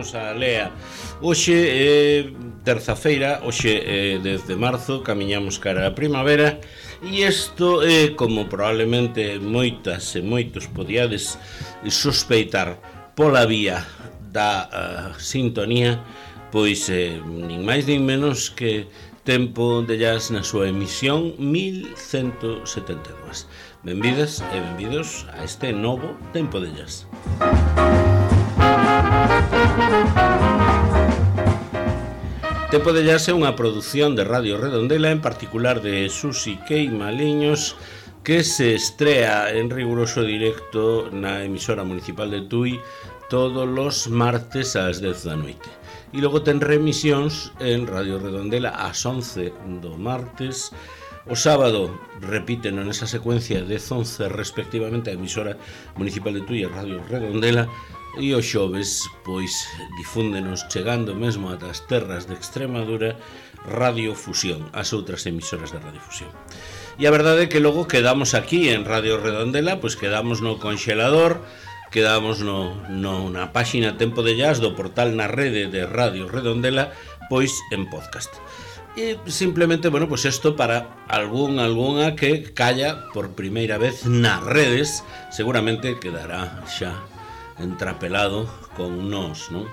benvidos a Lea. Hoxe é terza-feira, hoxe é 10 de marzo, camiñamos cara a primavera. E isto é, como probablemente moitas e moitos podíades sospeitar pola vía da sintonía, pois nin máis nin menos que Tempo de Jazz na súa emisión 1172. Benvidas e benvidos a este novo Tempo de Jazz. Tempo de Jazz é unha produción de Radio Redondela, en particular de Susi Queimaliños, que se estrea en riguroso directo na emisora municipal de Tui todos os martes ás 10 da noite. E logo ten remisións en Radio Redondela ás 11 do martes. O sábado repiten nesa secuencia 10-11 respectivamente a emisora municipal de Tui e Radio Redondela. E os xoves, pois, difúndenos chegando mesmo ata as terras de Extremadura Radio Fusión, as outras emisoras de Radio Fusión. E a verdade é que logo quedamos aquí en Radio Redondela, pois quedamos no conxelador, quedamos na páxina Tempo de Jazz do portal na rede de Radio Redondela, pois en podcast. E simplemente, bueno, pois isto para algunha que calla por primeira vez nas redes, seguramente quedará xa entrapelado con nós, non?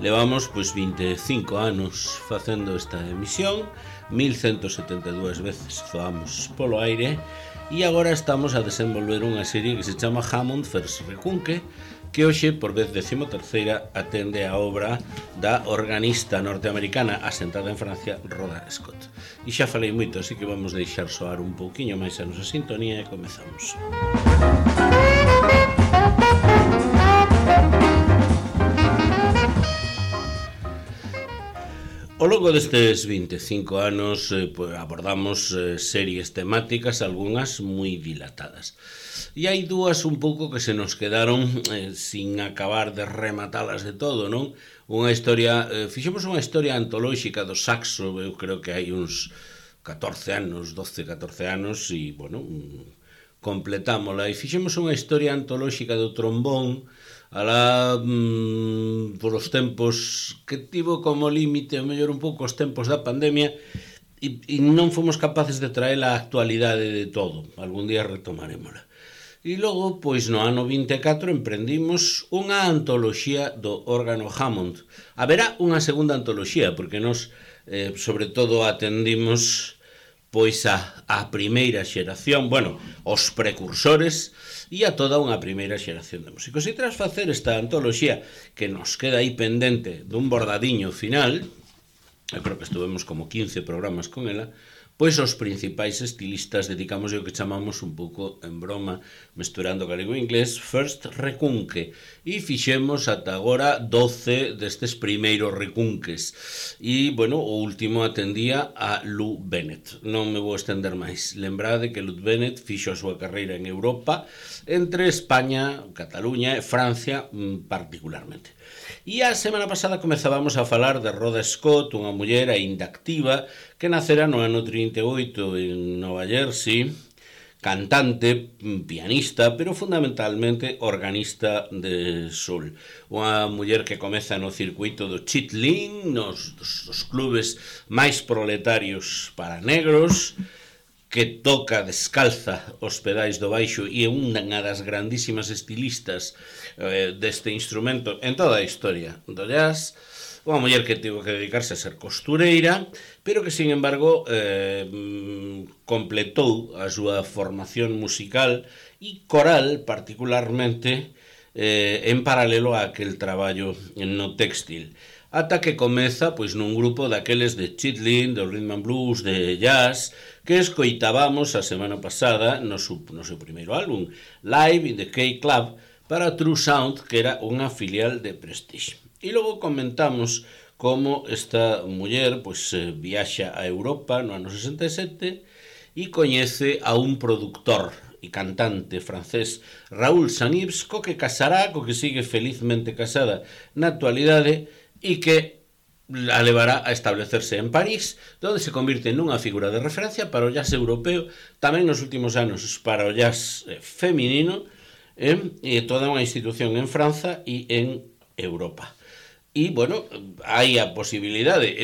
Levamos pois 25 anos facendo esta emisión, 1172 veces zoamos polo aire e agora estamos a desenvolver unha serie que se chama Hammond First Recunque, que hoxe, por vez 13ª, atende a obra da organista norteamericana asentada en Francia, Rhoda Scott. E xa falei moito, así que vamos deixar soar un pouquiño máis a nosa sintonía e comezamos. Ao longo destes 25 anos abordamos series temáticas, algunhas moi dilatadas. E hai dúas un pouco que se nos quedaron sin acabar de rematalas de todo, non? Unha historia, fixemos unha historia antolóxica do saxo, eu creo que hai uns 14 anos, 12-14 anos, e, bueno, completámola. E fixemos unha historia antolóxica do trombón, alá por os tempos que tivo como límite, o mellor un pouco os tempos da pandemia, e non fomos capaces de traer a actualidade de todo. Algún día retomarémola. E logo, pois no ano 24 emprendimos unha antoloxía do órgano Hammond. Haberá unha segunda antoloxía, porque nos, sobre todo, atendimos pois a primeira xeración, bueno, os precursores e a toda unha primeira xeración de músicos. E tras facer esta antoloxía que nos queda aí pendente dun bordadiño final, eu creo que estuvemos como 15 programas con ela, pois os principais estilistas dedicamos o que chamamos un pouco en broma, mesturando galego e inglés, First Recunque, e fixemos ata agora 12 destes primeiros recunques. E, bueno, o último atendía a Lou Bennett. Non me vou estender máis. Lembrade que Lou Bennett fixo a súa carreira en Europa, entre España, Cataluña e Francia particularmente. E a semana pasada comezábamos a falar de Rhoda Scott, unha muller aínda activa que nacera no ano 38 en Nova Jersey, cantante, pianista, pero fundamentalmente organista de soul. Unha muller que comeza no circuito do chitlin, dos clubes máis proletarios para negros, que toca descalza os pedais do baixo e é unha das grandísimas estilistas deste instrumento en toda a historia do jazz. Unha muller que tivo que dedicarse a ser costureira, pero que, sin embargo, completou a súa formación musical e coral, particularmente, en paralelo a aquel traballo no textil. Ata que comeza pois nun grupo daqueles de chitlin, do rhythm and blues, de jazz, que escoitábamos a semana pasada no seu primeiro álbum, Live in the K-Club, para True Sound, que era unha filial de Prestige. E logo comentamos como esta muller pois viaxa a Europa no ano 67 e coñece a un productor e cantante francés, Raoul Sanibs, co que casará, co que sigue felizmente casada na actualidade, e que a levará a establecerse en París, donde se convirte nunha figura de referencia para o jazz europeo, tamén nos últimos anos para o jazz feminino, e toda unha institución en França e en Europa. E, bueno, hai a posibilidade,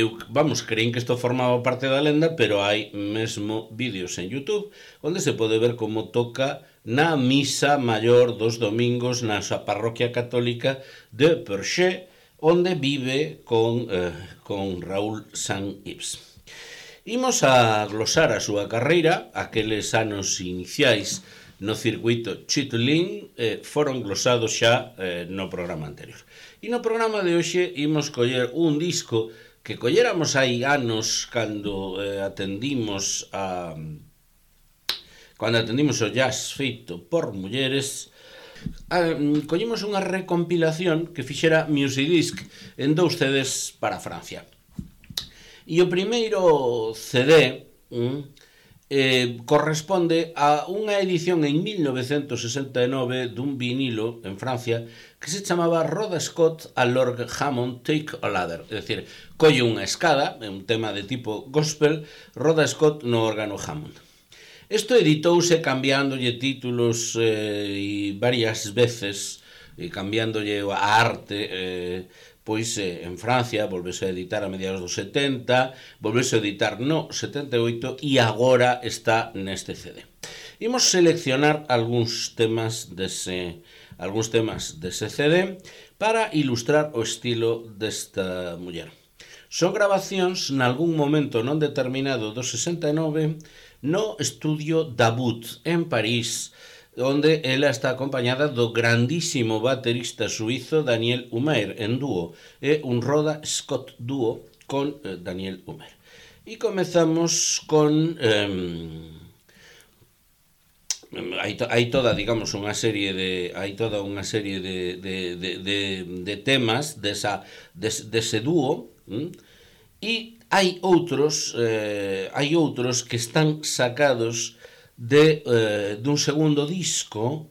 creín que isto formaba parte da lenda, pero hai mesmo vídeos en YouTube onde se pode ver como toca na misa maior dos domingos na súa parroquia católica de Perche, onde vive con Raúl Saint-Yves. Imos a glosar a súa carreira, aqueles anos iniciais no circuito Chitulín foron glosados xa no programa anterior. E no programa de hoxe imos coller un disco que colléramos hai anos cando atendimos o jazz feito por mulleres. Collemos unha recompilación que fixera Musidisc en 2 CDs para Francia. E o primeiro CD corresponde a unha edición en 1969 dun vinilo en Francia que se chamaba Rhoda Scott a l'orgue Hammond Take a Ladder, é dicir, colle unha escada, é un tema de tipo gospel, Rhoda Scott no órgano Hammond. Isto editouse cambiándolle títulos varias veces, cambiándolle a arte, pois en Francia volvese a editar a mediados dos 70, volvese a editar no 78 e agora está neste CD. Imos seleccionar algúns temas dese CD para ilustrar o estilo desta muller. Son grabacións nalgún momento non determinado do 69 no estudio Dabut en París, onde ela está acompañada do grandísimo baterista suizo Daniel Humer en dúo, é un Rhoda Scott dúo con Daniel Humer. E comezamos con hai toda, digamos, unha serie de temas dese dúo, e hai outros que están sacados dun segundo disco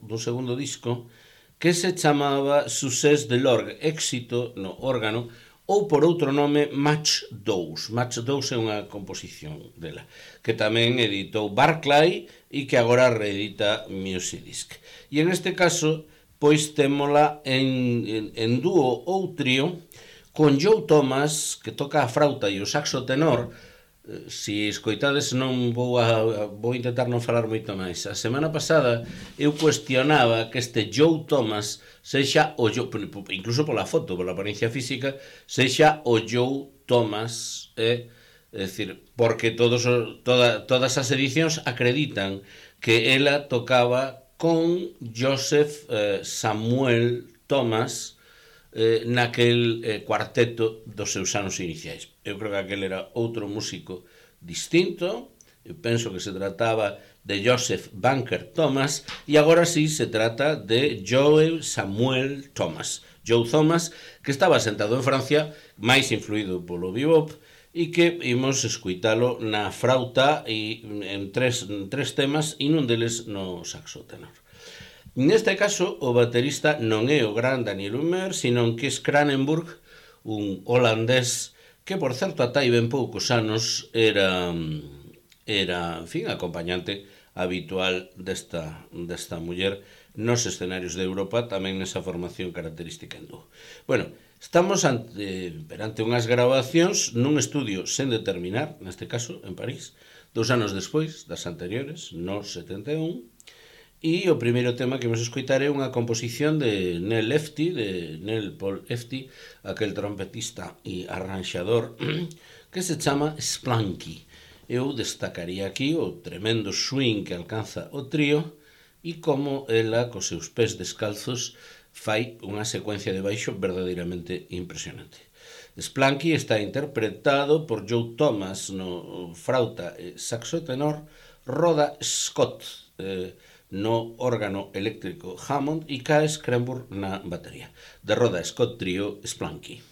que se chamaba Succès de l'orgue, éxito no órgano, ou por outro nome Match 2. Match 2 é unha composición dela, que tamén editou Barclay e que agora reedita Musidisc. E en este caso, pois témola en dúo ou trío con Joe Thomas, que toca a frauta e o saxo tenor. Se escoitades non vou intentar non falar moito máis. A semana pasada eu cuestionaba que este Joe Thomas sexa o Joe, incluso pola foto, pola apariencia física, sexa o Joe Thomas, é dicir, porque todas as edicións acreditan que ela tocaba con Joseph Samuel Thomas naquel cuarteto dos seus anos iniciais. Eu creo que aquel era outro músico distinto, eu penso que se trataba de Joseph Banker Thomas, e agora sí se trata de Joe Samuel Thomas. Joe Thomas, que estaba sentado en Francia, máis influído polo bebop, e que imos escuitalo na frauta e en tres temas, e nun deles no saxo tenor. Neste caso, o baterista non é o gran Daniel Humer, sino que é Kranenburg, un holandés que, por certo, ata hai ben poucos anos era en fin, acompañante habitual desta muller nos escenarios de Europa, tamén nesa formación característica en dúo. Bueno, estamos perante unhas grabacións nun estudio sen determinar, neste caso, en París, 2 anos despois das anteriores, no 71, e o primeiro tema que vamos escoitar é unha composición de Neil Paul Lefty, aquel trompetista e arranxador, que se chama Splanky. Eu destacaría aquí o tremendo swing que alcanza o trío e como ela, cos seus pés descalzos, fai unha secuencia de baixo verdadeiramente impresionante. Splanky está interpretado por Joe Thomas no frauta e saxo tenor, Rhoda Scott no órgano eléctrico Hammond e K.S. Kranenburg na batería. De Rhoda Scott Trio, Splanky.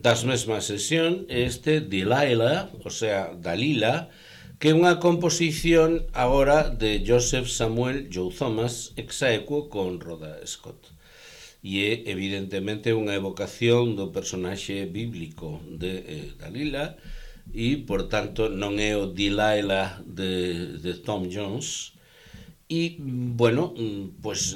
Das mesmas sesión este Delilah, o sea, Dalila, que é unha composición agora de Joseph Samuel Joe Thomas exaequo con Rhoda Scott. E é evidentemente unha evocación do personaxe bíblico de Dalila e, por tanto, non é o Delilah de Tom Jones. E, bueno, pues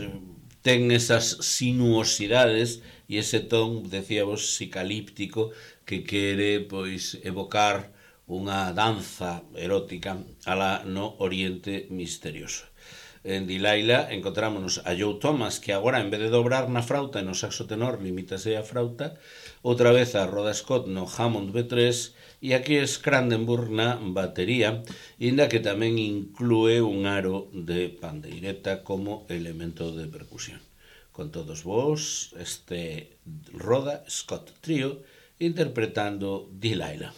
ten esas sinuosidades e ese ton, decíamos, psicalíptico que quere, pois, evocar unha danza erótica alá no Oriente Misterioso. En Delilah encontrámonos a Joe Thomas, que agora en vez de dobrar na frauta e no saxo tenor limítase a frauta, outra vez a Rhoda Scott no Hammond B3 e aquí Scrandenburg na batería, inda que tamén inclúe un aro de pandeireta como elemento de percusión. Con todos vos, este Rhoda Scott Trio interpretando Delilah.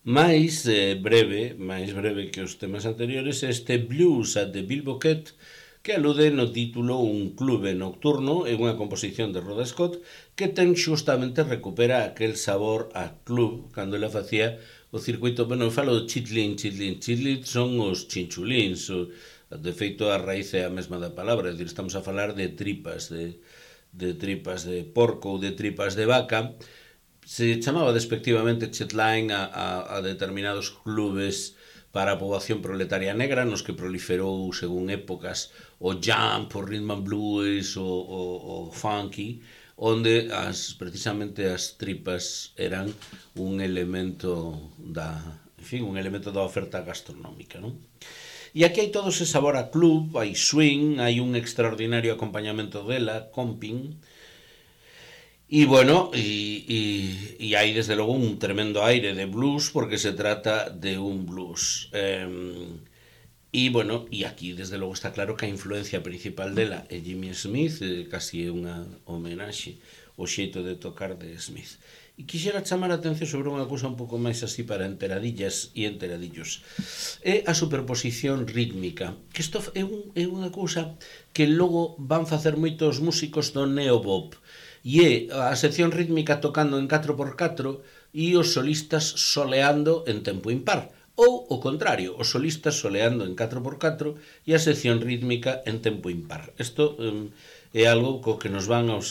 máis breve que os temas anteriores, este Blues at the Bilboquet, que alude no título un clube nocturno e unha composición de Rhoda Scott que ten xustamente recupera aquel sabor a club cando ela facía o circuito. Bueno, eu falo do chitlin son os chinchulins, de feito a raíz é a mesma da palabra, é dicir, estamos a falar de tripas de porco ou de tripas de vaca. Se chamaba despectivamente chetline a determinados clubes para a poboación proletaria negra nos que proliferou según épocas o jump, o rhythm and blues, o funky, onde precisamente as tripas eran un elemento un elemento da oferta gastronómica, non? E aquí hai todo ese sabor a club, hai swing, hai un extraordinario acompañamento dela, comping. E bueno, e hai desde logo un tremendo aire de blues porque se trata de un blues. E bueno, e aquí desde logo está claro que a influencia principal dela é Jimmy Smith, casi é unha homenaxe ao xeito de tocar de Smith. E quixera chamar a atención sobre unha cousa un pouco máis así para enteradillas e enteradillos. É a superposición rítmica, que isto é unha cousa que logo van facer moitos músicos do neobop. E é a sección rítmica tocando en 4x4 e os solistas soleando en tempo impar. Ou o contrario, os solistas soleando en 4x4 e a sección rítmica en tempo impar. Isto é algo co que nos van a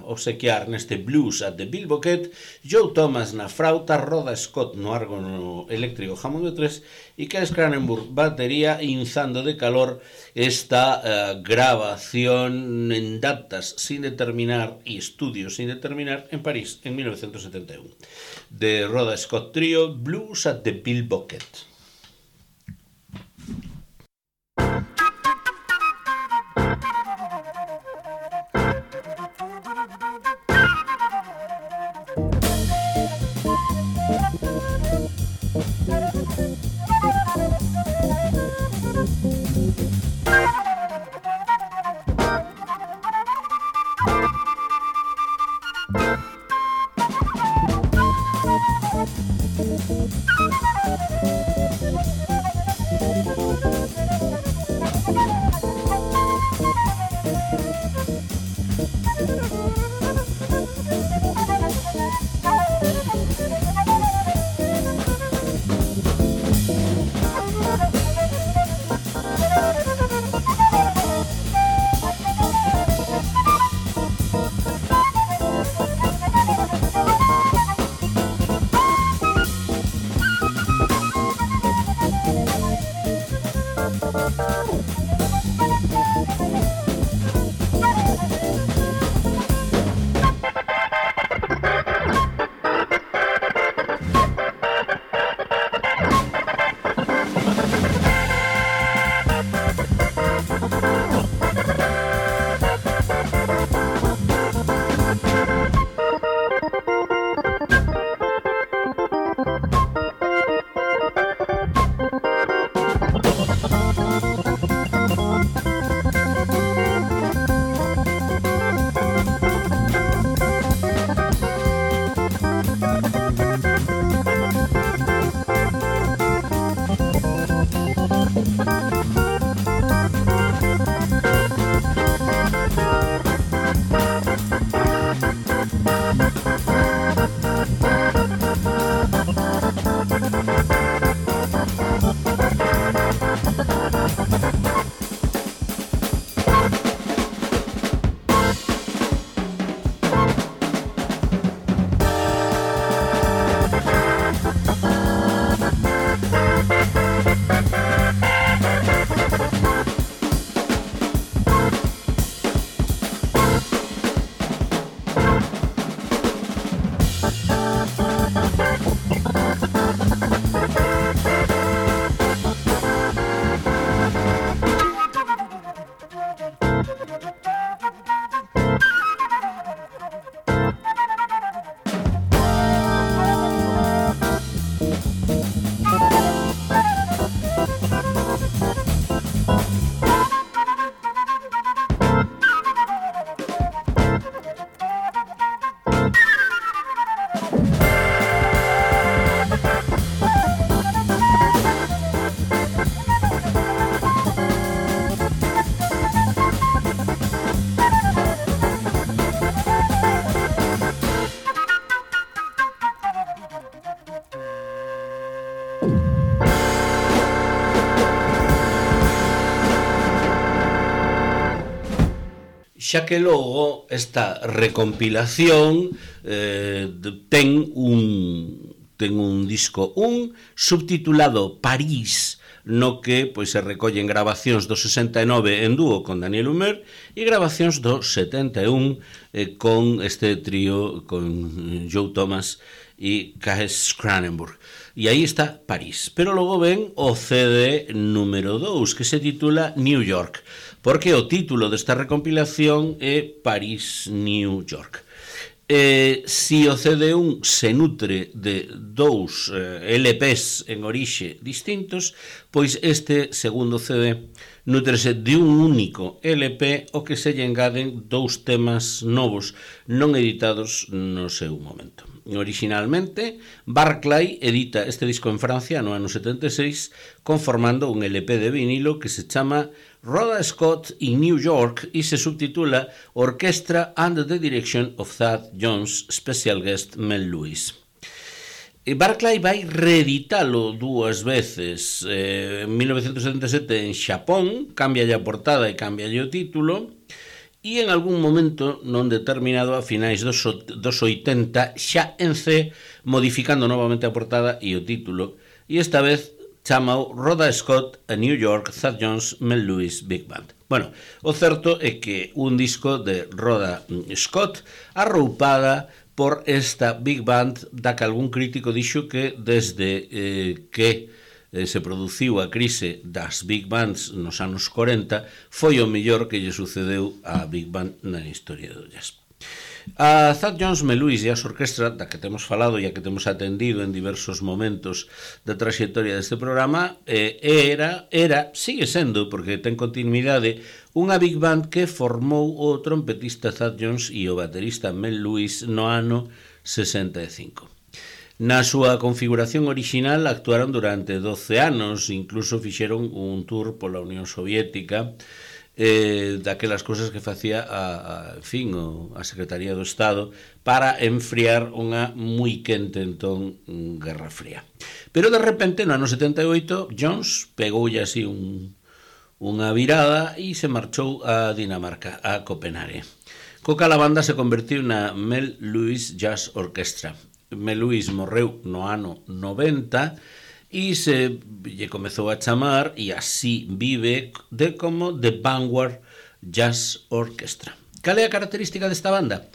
obsequiar neste Blues at the Bilboquet, Joe Thomas na frauta, Rhoda Scott no órgano eléctrico Hammond B3 e Kees Cranenburg batería, inzando de calor esta grabación en datas sin determinar e estudios sin determinar en París en 1971 de Rhoda Scott Trio, Blues at the Bilboquet. xa que logo esta recompilación ten un disco subtitulado París, no que pois se recollen grabacións do 69 en dúo con Daniel Humer e grabacións do 71 con este trío con Joe Thomas e Cas Cranenburg. E aí está París. Pero logo ven o CD número 2, que se titula New York, porque o título desta recompilación é París, New York. Si o CD1 se nutre de dous LPs en orixe distintos, pois este segundo CD nutrese de un único LP o que se lle engaden dous temas novos non editados no seu momento. Originalmente, Barclay edita este disco en Francia no ano 76 conformando un LP de vinilo que se chama Rhoda Scott in New York e se subtitula Orchestra Under the Direction of Thad Jones, Special Guest Mel Lewis. Barclay vai reeditalo dúas veces, en 1977 en Xapón, cámbialle a portada e cámbialle o título, e en algún momento non determinado a finais dos 80 xa en C, modificando novamente a portada e o título, e esta vez chamao Rhoda Scott a New York, Thad Jones, Mel Lewis Big Band. Bueno, o certo é que un disco de Rhoda Scott arroupada por esta Big Band da que algún crítico dixo que desde que se produciu a crise das Big Bands nos anos 40 foi o mellor que lle sucedeu á Big Band na historia do jazz. A Thad Jones, Mel Lewis e a orquestra da que temos falado e a que temos atendido en diversos momentos da traxectoria deste programa sigue sendo, porque ten continuidade, unha Big Band que formou o trompetista Thad Jones e o baterista Mel Lewis no ano 65. Na súa configuración orixinal actuaron durante 12 anos, incluso fixeron un tour pola Unión Soviética, daquelas cousas que facía a Secretaría do Estado para enfriar unha moi quente entón Guerra Fría. Pero de repente no ano 78 Jones pegoulle así unha virada e se marchou a Dinamarca, a Copenhague. Co cal a banda se convertiu na Mel Lewis Jazz Orchestra. Mel Lewis morreu no ano 90 e se lle comezou a chamar, e así vive, como The Vanguard Jazz Orchestra. Cal é a característica desta banda?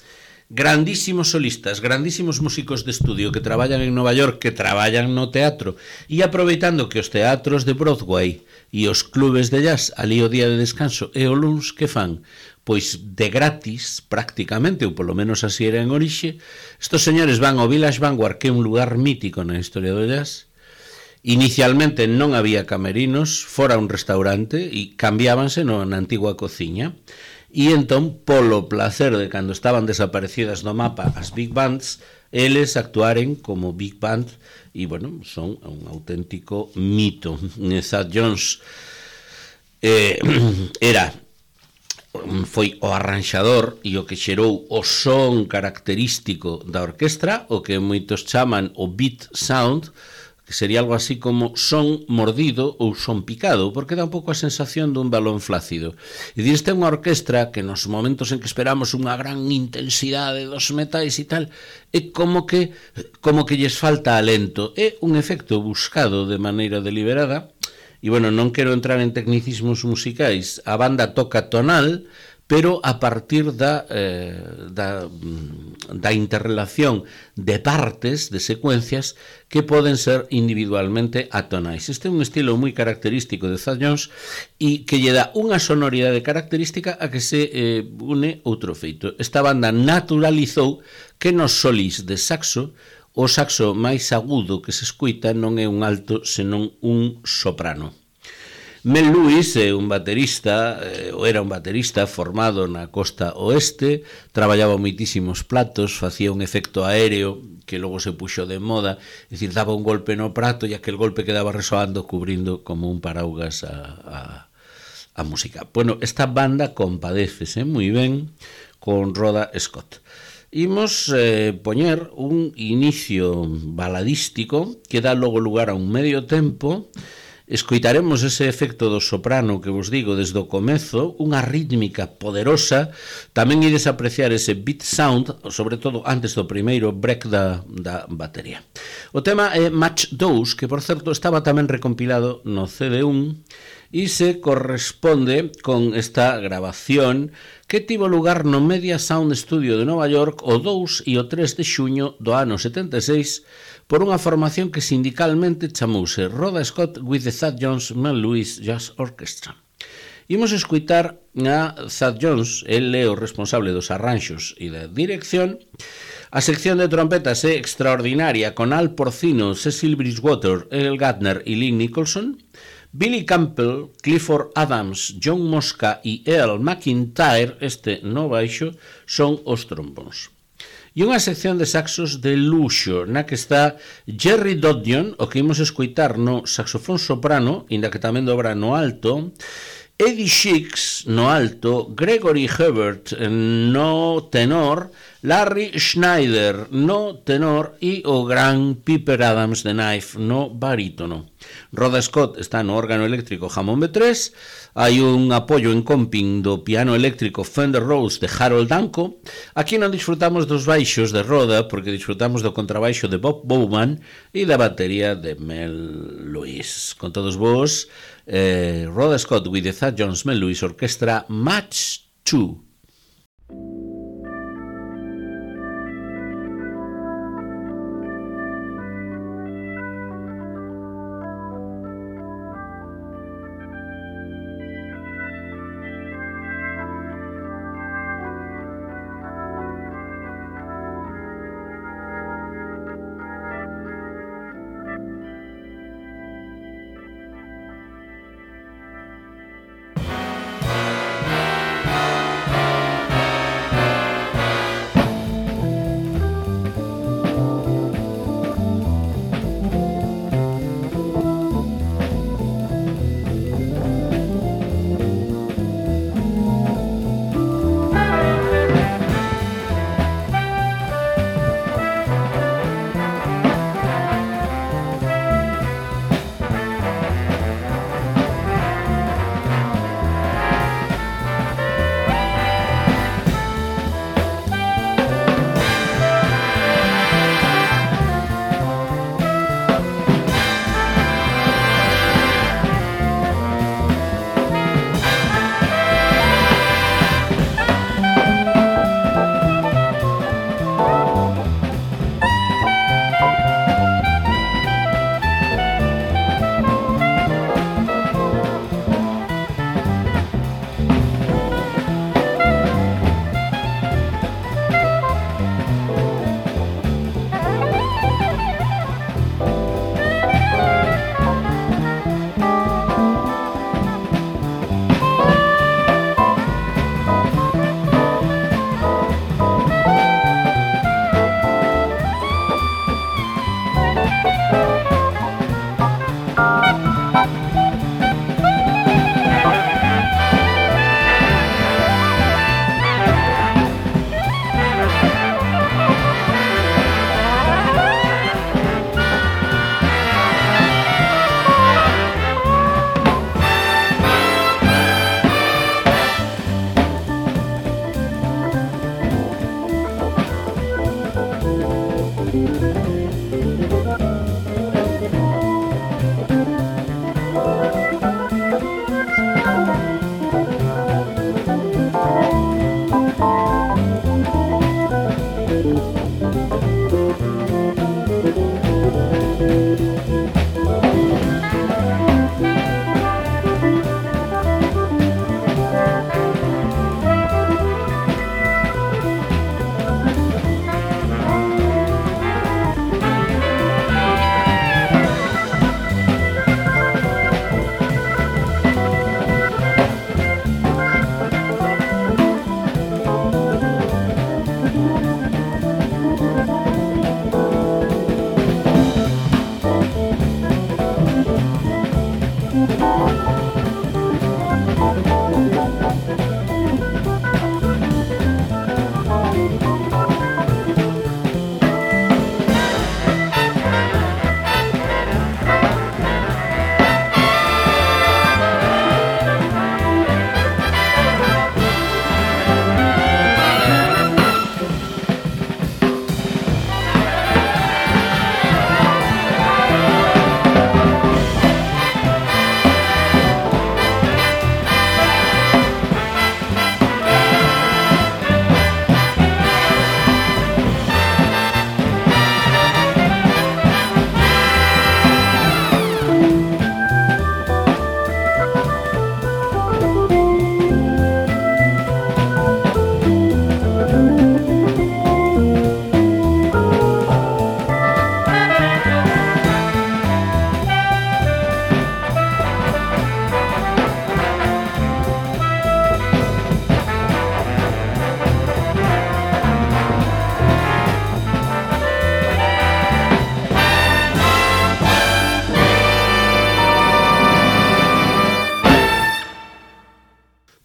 Grandísimos solistas, grandísimos músicos de estudio que traballan en Nova York, que traballan no teatro, e aproveitando que os teatros de Broadway e os clubes de jazz ali o día de descanso e o luns, que fan? Pois de gratis, prácticamente, ou polo menos así era en orixe, estos señores van ao Village Vanguard, que é un lugar mítico na historia do jazz. Inicialmente non había camerinos, fora un restaurante, e cambiábanse na antigua cociña. E entón, polo placer de cando estaban desaparecidas do mapa as Big Bands, eles actuaren como Big Band, e, bueno, son un auténtico mito. Thad Jones foi o arranxador e o que xerou o son característico da orquestra, o que moitos chaman o beat sound, que sería algo así como son mordido ou son picado, porque dá un pouco a sensación dun balón flácido. E diste unha orquestra que nos momentos en que esperamos unha gran intensidade dos metais e tal, é como que lles falta alento. É un efecto buscado de maneira deliberada. E, bueno, non quero entrar en tecnicismos musicais. A banda toca tonal, pero a partir da interrelación de partes, de secuencias, que poden ser individualmente atonais. Este é un estilo moi característico de Thad Jones e que lle dá unha sonoridade característica a que se une outro feito. Esta banda naturalizou que nos solis de saxo o saxo máis agudo que se escuita non é un alto, senón un soprano. Mel Lewis é un baterista, era un baterista formado na costa oeste, traballaba moitísimos platos, facía un efecto aéreo que logo se puxo de moda, é dicir, daba un golpe no prato e aquel golpe quedaba resoando, cubrindo como un paraugas a música. Bueno, esta banda compadécese moi ben con Rhoda Scott. Imos poñer un inicio baladístico que dá logo lugar a un medio tempo escoitaremos ese efecto do soprano que vos digo desde o comezo, unha rítmica poderosa, tamén ides apreciar ese beat sound, sobre todo antes do primeiro break da batería. O tema é Match 2, que por certo estaba tamén recompilado no CD1 e se corresponde con esta grabación que tivo lugar no Media Sound Studio de Nova York o 2 e o 3 de xuño do ano 76 por unha formación que sindicalmente chamouse Rhoda Scott with the Thad Jones Mel Lewis Jazz Orchestra. Imos escutar a Thad Jones, el é o responsable dos arranxos e da dirección. A sección de trompetas é extraordinaria con Al Porcino, Cecil Bridgewater, Earl Gardner e Lynn Nicholson. Billy Campbell, Clifford Adams, John Mosca e Earl McIntyre, este no baixo, son os trombóns. E unha sección de saxos de luxo, na que está Jerry Doddion, o que imos escoitar no saxofón soprano, inda que tamén dobra no alto, Eddie Shix no alto, Gregory Hebert no tenor, Larry Schneider no tenor e o gran Piper Adams de Knife no barítono. Rhoda Scott está no órgano eléctrico Hammond B3, hai un apoio en comping do piano eléctrico Fender Rhodes de Harold Danko. Aquí non disfrutamos dos baixos de Rhoda porque disfrutamos do contrabaixo de Bob Bowman e da batería de Mel Lewis. Con todos vos, Rhoda Scott with the Thad Jones Mel Lewis Orchestra Match 2.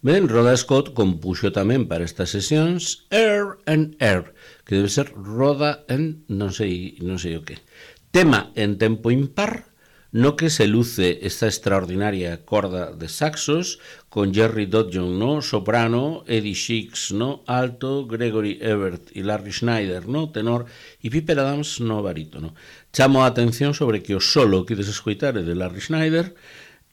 Ben, Rhoda Scott compuxo tamén para estas sesións Air and Air, que debe ser Roda en non sei o que. Tema en tempo impar, no que se luce esta extraordinaria corda de saxos con Jerry Dodson no soprano, Eddie Shix no alto, Gregory Ebert e Larry Schneider no tenor e Piper Adams no barítono. Chamo a atención sobre que o solo que quedes escoitar é de Larry Schneider.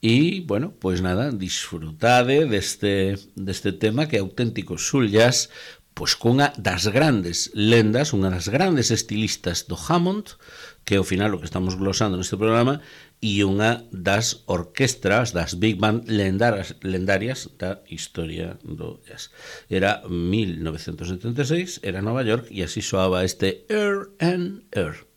E, bueno, pois nada, disfrutade deste tema que é auténtico soul jazz, pois cunha das grandes lendas, unha das grandes estilistas do Hammond, que é ao final o que estamos glosando neste programa, e unha das orquestras, das big band lendarias da historia do jazz. Era 1976, era Nova York, e así soaba este Air and Air.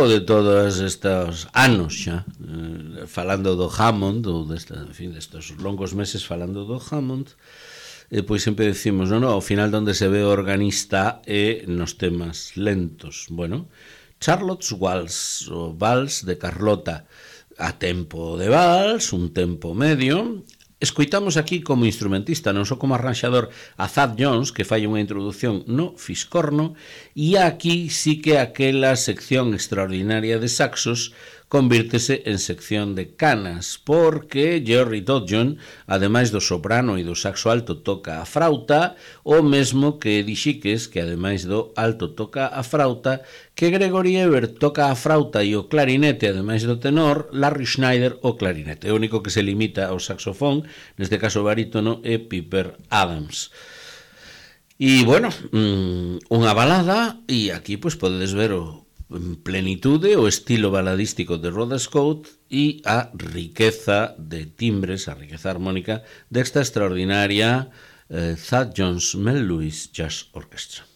longo de todos estes anos xa, falando do Hammond, ou destes longos meses falando do Hammond, pois sempre decimos, ao final onde se ve o organista é nos temas lentos. Bueno, Charlotte's Waltz, o Vals de Carlota, a tempo de vals, un tempo medio. Escoitamos aquí como instrumentista, non só como arranxador, a Thad Jones, que fai unha introducción no fiscorno, e aquí sí que aquela sección extraordinaria de saxos convírtese en sección de canas, porque Jerry Dodjon, ademais do soprano e do saxo alto, toca a frauta, o mesmo que Dixiques, que ademais do alto toca a frauta, que Gregory Ebert toca a frauta e o clarinete, ademais do tenor, Larry Schneider o clarinete. O único que se limita ao saxofón, neste caso barítono, é Piper Adams. E, bueno, unha balada, e aquí pois podedes ver en plenitude o estilo baladístico de Rhoda Scott e a riqueza de timbres, a riqueza armónica desta extraordinaria Thad Jones Mel Lewis Jazz Orchestra.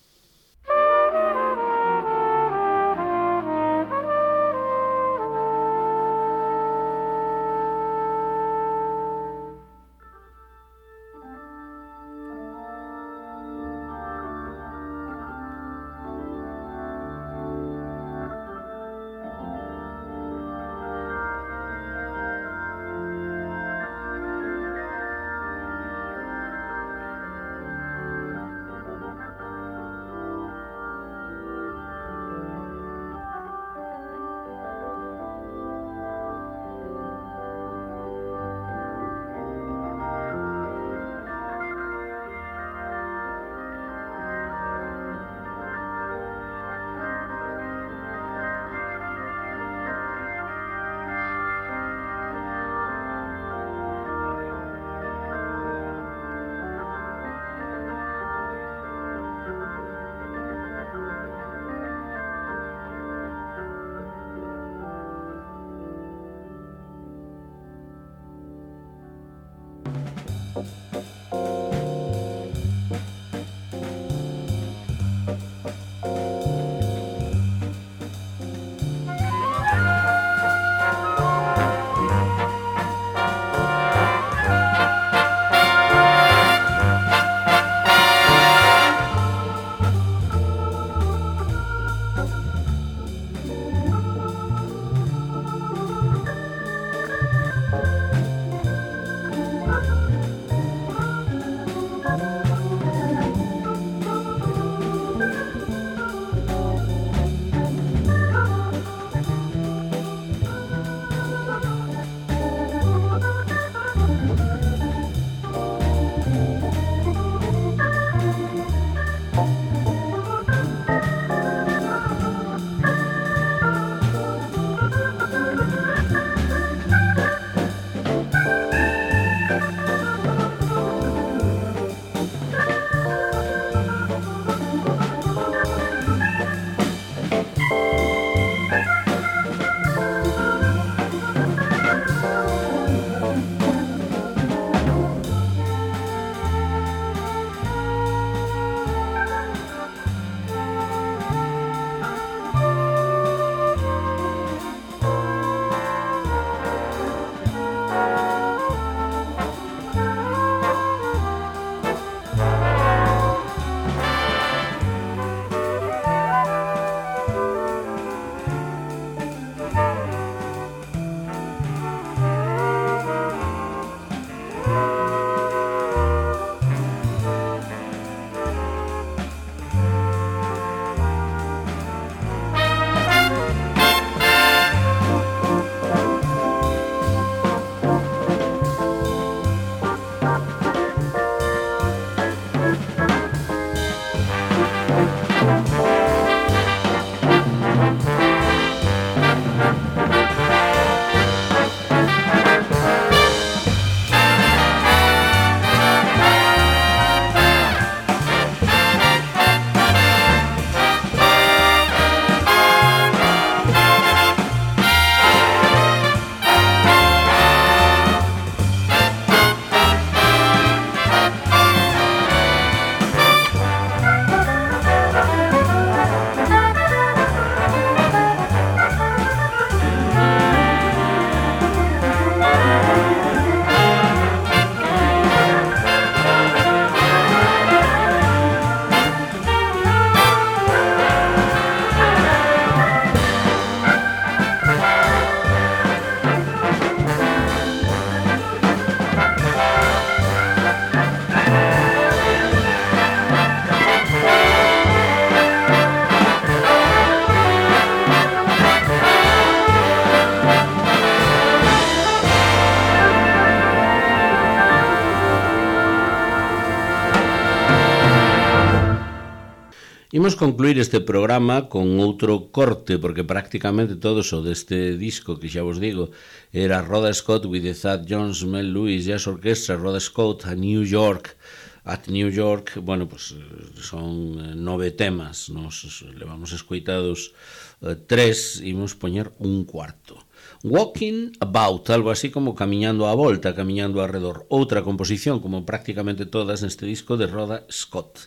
Imos concluir este programa con outro corte, porque prácticamente todo o deste disco, que xa vos digo, era Rhoda Scott with the Thad Jones, Mel Lewis Jazz Orchestra, Rhoda Scott a New York. At New York, bueno, pues son 9 temas, nos levamos escoitados 3, imos poñer un cuarto. Walking About, algo así como camiñando á volta, camiñando arredor. Outra composición, como prácticamente todas neste disco, de Rhoda Scott.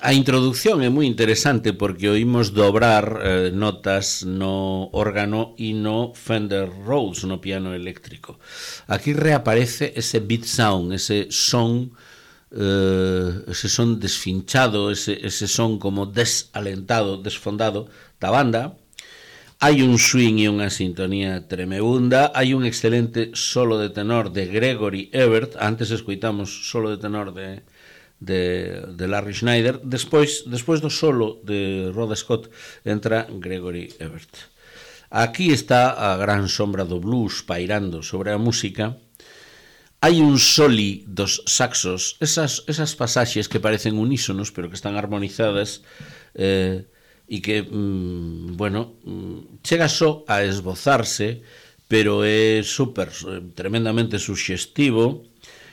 A introducción é moi interesante porque oímos dobrar notas no órgano e no Fender Rhodes, no piano eléctrico. Aquí reaparece ese beat sound, ese son desfinchado, ese son como desalentado, desfondado da banda. Hai un swing e unha sintonía tremebunda. Hai un excelente solo de tenor de Gregory Ebert. Antes escoitamos solo de tenor de Larry Schneider. Despois do solo de Rhoda Scott entra Gregory Ebert. Aquí está a gran sombra do blues pairando sobre a música. Hai un soli dos saxos, esas pasaxes que parecen unísonos pero que están armonizadas, e que, chega só a esbozarse, pero é tremendamente suxestivo,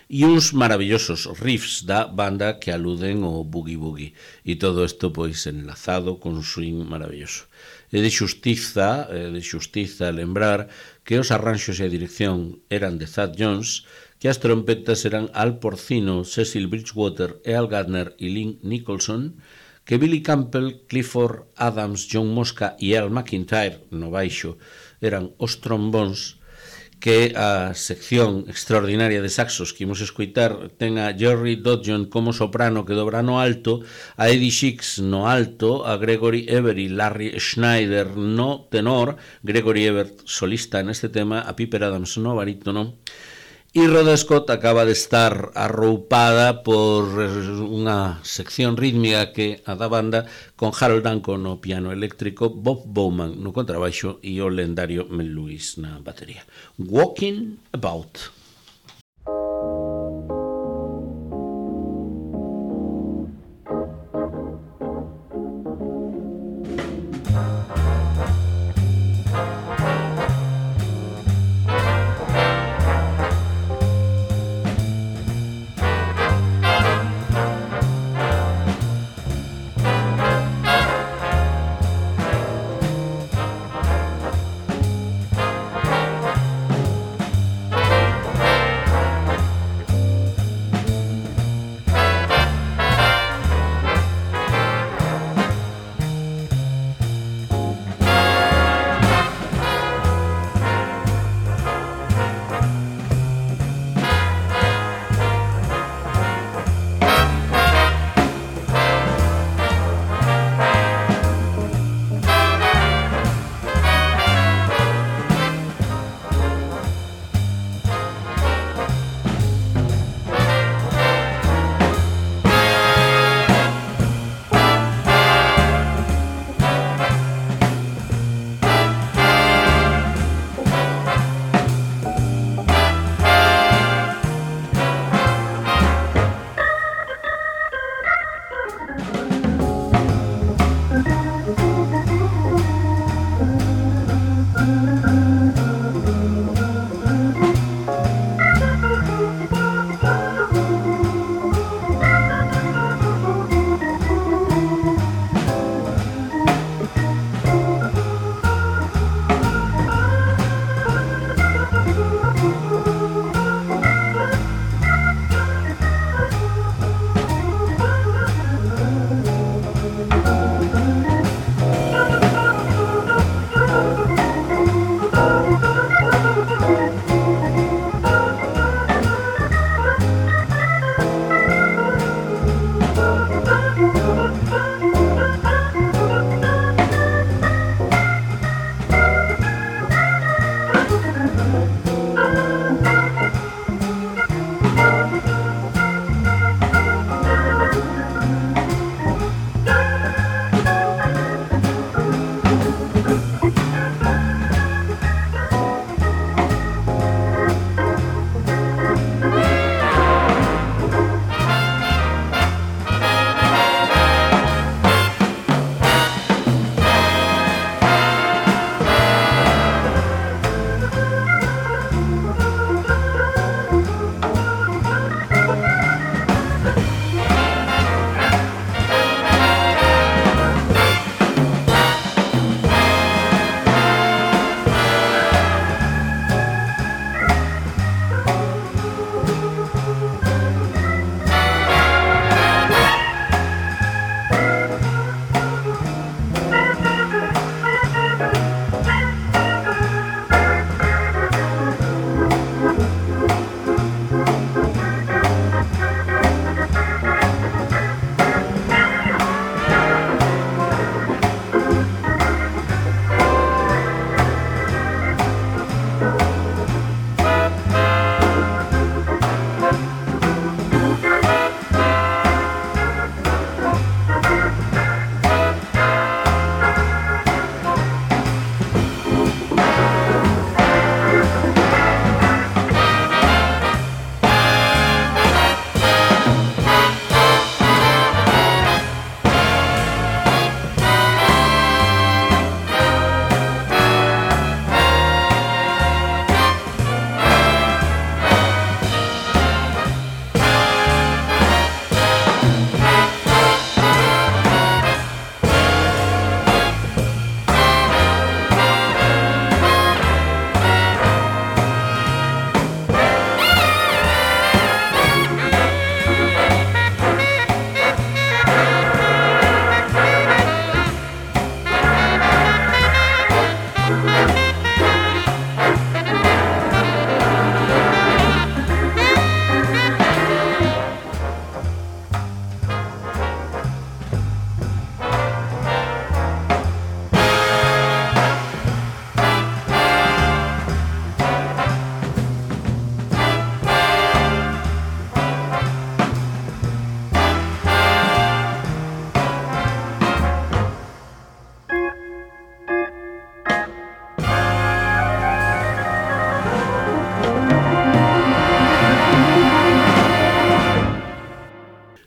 e uns maravillosos riffs da banda que aluden ao boogie boogie, e todo isto pois enlazado con un swing maravilloso. É de xustiza lembrar que os arranxos e a dirección eran de Thad Jones, que as trompetas eran Al Porcino, Cecil Bridgewater, Earl Gardner e Lynn Nicholson, que Billy Campbell, Clifford Adams, John Mosca e Al McIntyre no baixo eran os trombóns, que a sección extraordinaria de saxos que imos escoitar ten a Jerry Dodgeon como soprano que dobra no alto, a Eddie Shix no alto, a Gregory Ebert e Larry Schneider no tenor, Gregory Ebert solista neste tema, a Piper Adams no barítono, e Rhoda Scott acaba de estar arroupada por unha sección rítmica que a da banda, con Harold Danko no piano eléctrico, Bob Bowman no contrabaixo e o lendario Mel Lewis na batería. Walking About.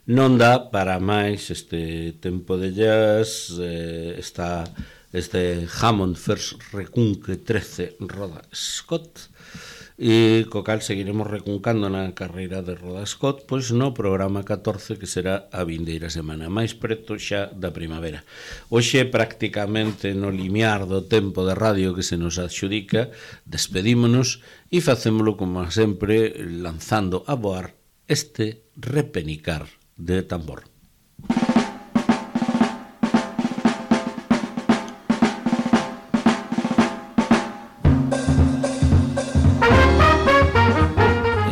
non dá para máis este tempo de jazz. Está este Hammond First Recunque 13 Roda Scott, e co cal seguiremos recuncando na carreira de Roda Scott, pois no programa 14, que será a vindeira semana, máis preto xa da primavera. Hoxe, prácticamente no limiar do tempo de radio que se nos adxudica, despedímonos e facémolo como sempre lanzando a voar este repenicar de tambor.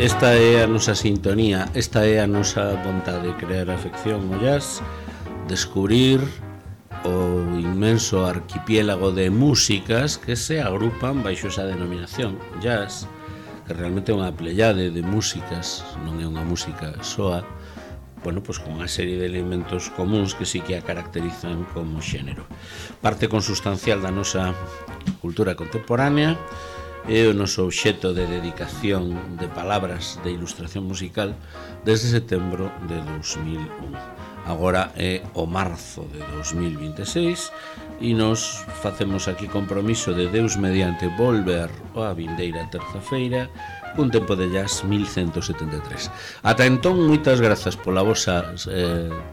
Esta é a nosa sintonía, esta é a nosa vontade de crear afección ao jazz, descubrir o inmenso arquipiélago de músicas que se agrupan baixo esa denominación jazz, que realmente é unha pleyade de músicas, non é unha música soa, bueno, pois con unha serie de elementos comuns que sí que a caracterizan como xénero. Parte consustancial da nosa cultura contemporánea, é o noso obxecto de dedicación de palabras de ilustración musical desde setembro de 2001. Agora é o marzo de 2026 e nos facemos aquí compromiso de Deus mediante volver a vindeira terza-feira cun tempo de jazz 1173. Ata entón, moitas grazas pola vosa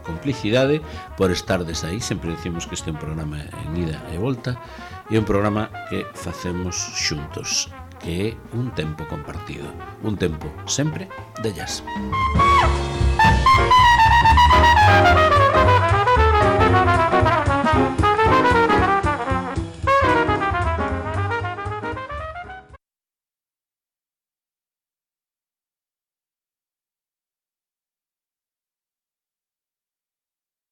complicidade, por estardes aí. Sempre decimos que este é un programa en ida e volta, e un programa que facemos xuntos, que é un tempo compartido, un tempo sempre de jazz.